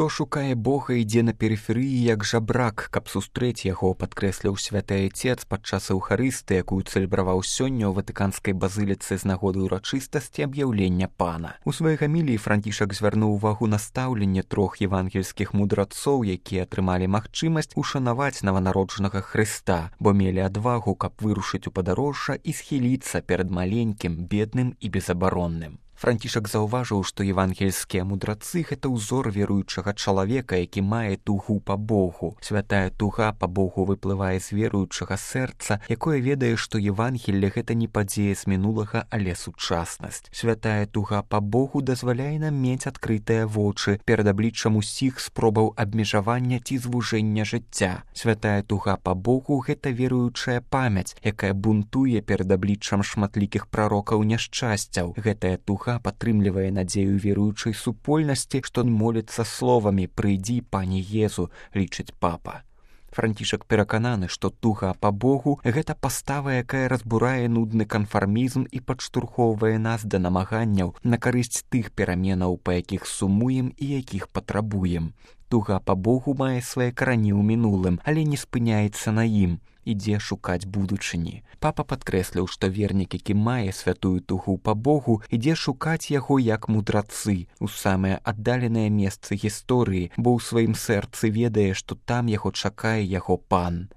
Хто шукае Бога, ідзе на перыферыі як жабрак, каб сустрэць яго, падкрэсліў святы айцец падчас эўхарыстыі, якую цэлебраваў сёння ў ватыканскай базыліцы з нагоды ўрачыстасці аб'яўлення пана. У сваёй гаміліі Францішак звярнуў увагу на стаўленне 3 евангельскіх мудрацоў, якія атрымалі магчымасць ушанаваць нованароджанага Хрыста, бо мелі адвагу, каб вырушыць у падарожжа і схіліцца перад маленькім, бедным і безабаронным. Францішак заўважыў, што евангельскія мудрацы – гэта ўзор веруючага чалавека, які мае тугу па Богу. Святая туга па Богу выплывае з веруючага сэрца, якое ведае, што Евангелле – гэта не падзея з мінулага, але сучаснасць. Святая туга па Богу дазваляе нам мець адкрытыя вочы перад абліччам усіх спробаў абмежавання ці звужэння жыцця. Святая туга па Богу – гэта веруючая памяць, якая бунтуе перад абліччам шматлікіх прарокаў няшчасцяў. Гэтая туга падтрымлівае надзею веруючай супольнасці, што моліцца словамі «Прыйдзі, пане Езу», лічыць папа. Францішак перакананы, што туга па Богу – гэта пастава, якая разбурае нудны канфармізм і падштурхоўвае нас да намаганняў на карысць тых пераменаў, па якіх сумуем і якіх патрабуем. Туга па Богу мае свае карані ў мінулым, але не спыняецца на ім, ідзе шукаць будучыні. Папа падкрэсліў, што вернік, які мае святую тугу па Богу, ідзе шукаць яго як мудрацы у самыя аддаленыя месцы гісторыі, бо ў сваім сэрцы ведае, што там яго чакае яго пан.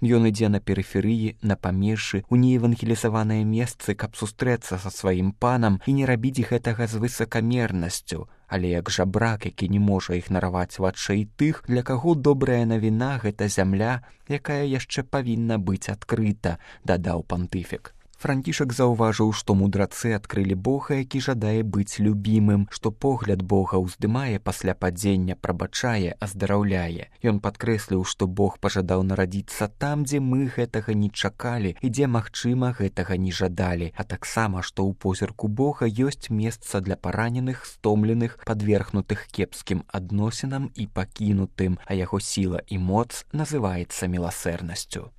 Ён ідзе на перыферыі, на памежжы, у неевангелізаваныя месцы, каб сустрэцца са сваім панам і не рабіць гэтага з высакамернасцю, але як жабрак, які не можа ігнараваць вачэй тых, для каго добрая навіна – гэта зямля, якая яшчэ павінна быць адкрыта, дадаў пантыфік. Францішак заўважыў, што мудрацы адкрылі Бога, які жадае быць любімым, што погляд Бога ўздымае пасля падзення, прабачае, аздараўляе. Ён падкрэсліў, што Бог пажадаў нарадзіцца там, дзе мы гэтага не чакалі і дзе, магчыма, гэтага не жадалі, а таксама, што ў позірку Бога ёсць месца для параненых, стомленых, падвергнутых кепскім адносінам і пакінутым, а яго сіла і моц называецца міласэрнасцю.